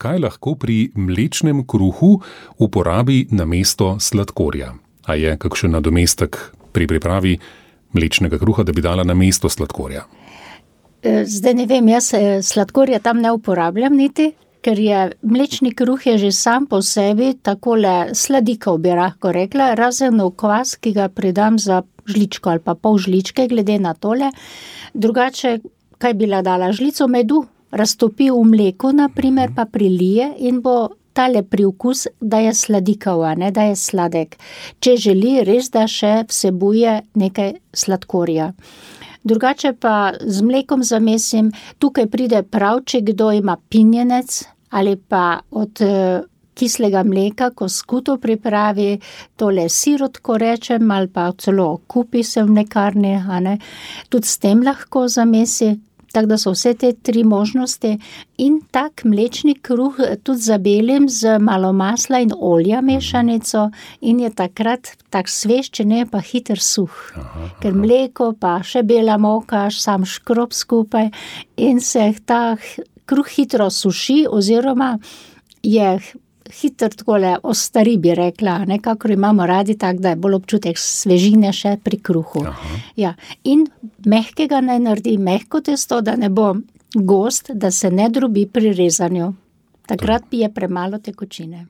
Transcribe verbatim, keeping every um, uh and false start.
kaj lahko pri mlečnem kruhu uporabi namesto sladkorja? A je kakšen nadomestek pri pripravi mlečnega kruha, da bi dala namesto sladkorja? Zdaj ne vem, jaz sladkorja tam ne uporabljam niti, ker je mlečni kruh je že sam po sebi takole sladikav, bi lahko rekla, razen v kvas, ki ga pridam za žličko ali pa pol žličke, glede na tole. Drugače, kaj bi la dala? Žlico medu raztopi v mleku, na primer, pa prilije in bo tale priokus, da je sladikav, a ne, da je sladek. Če želi res, da še vsebuje nekaj sladkorja. Drugače pa z mlekom zamesim, tukaj pride prav, če kdo ima pinjenec ali pa od kislega mleka, ko skuto pripravi, tole sirotko rečem, ali pa celo kupi se v mlekarni, a ne, tudi s tem lahko zamesi. Tako da so vse te tri možnosti in tak mlečni kruh tudi zabelim z malo masla in olja mešanico in je takrat tak svež, če ne pa hiter suh. Aha, aha. Ker mleko pa še bela moka, sam škrob skupaj in se ta kruh hitro suši oziroma je hitro takole ostari, bi rekla, nekako imamo radi tak, da je bolj občutek svežine še pri kruhu. Ja. In mehkega naj naredi mehko testo, da ne bo gost, da se ne drobi pri rezanju. Takrat je premalo tekočine.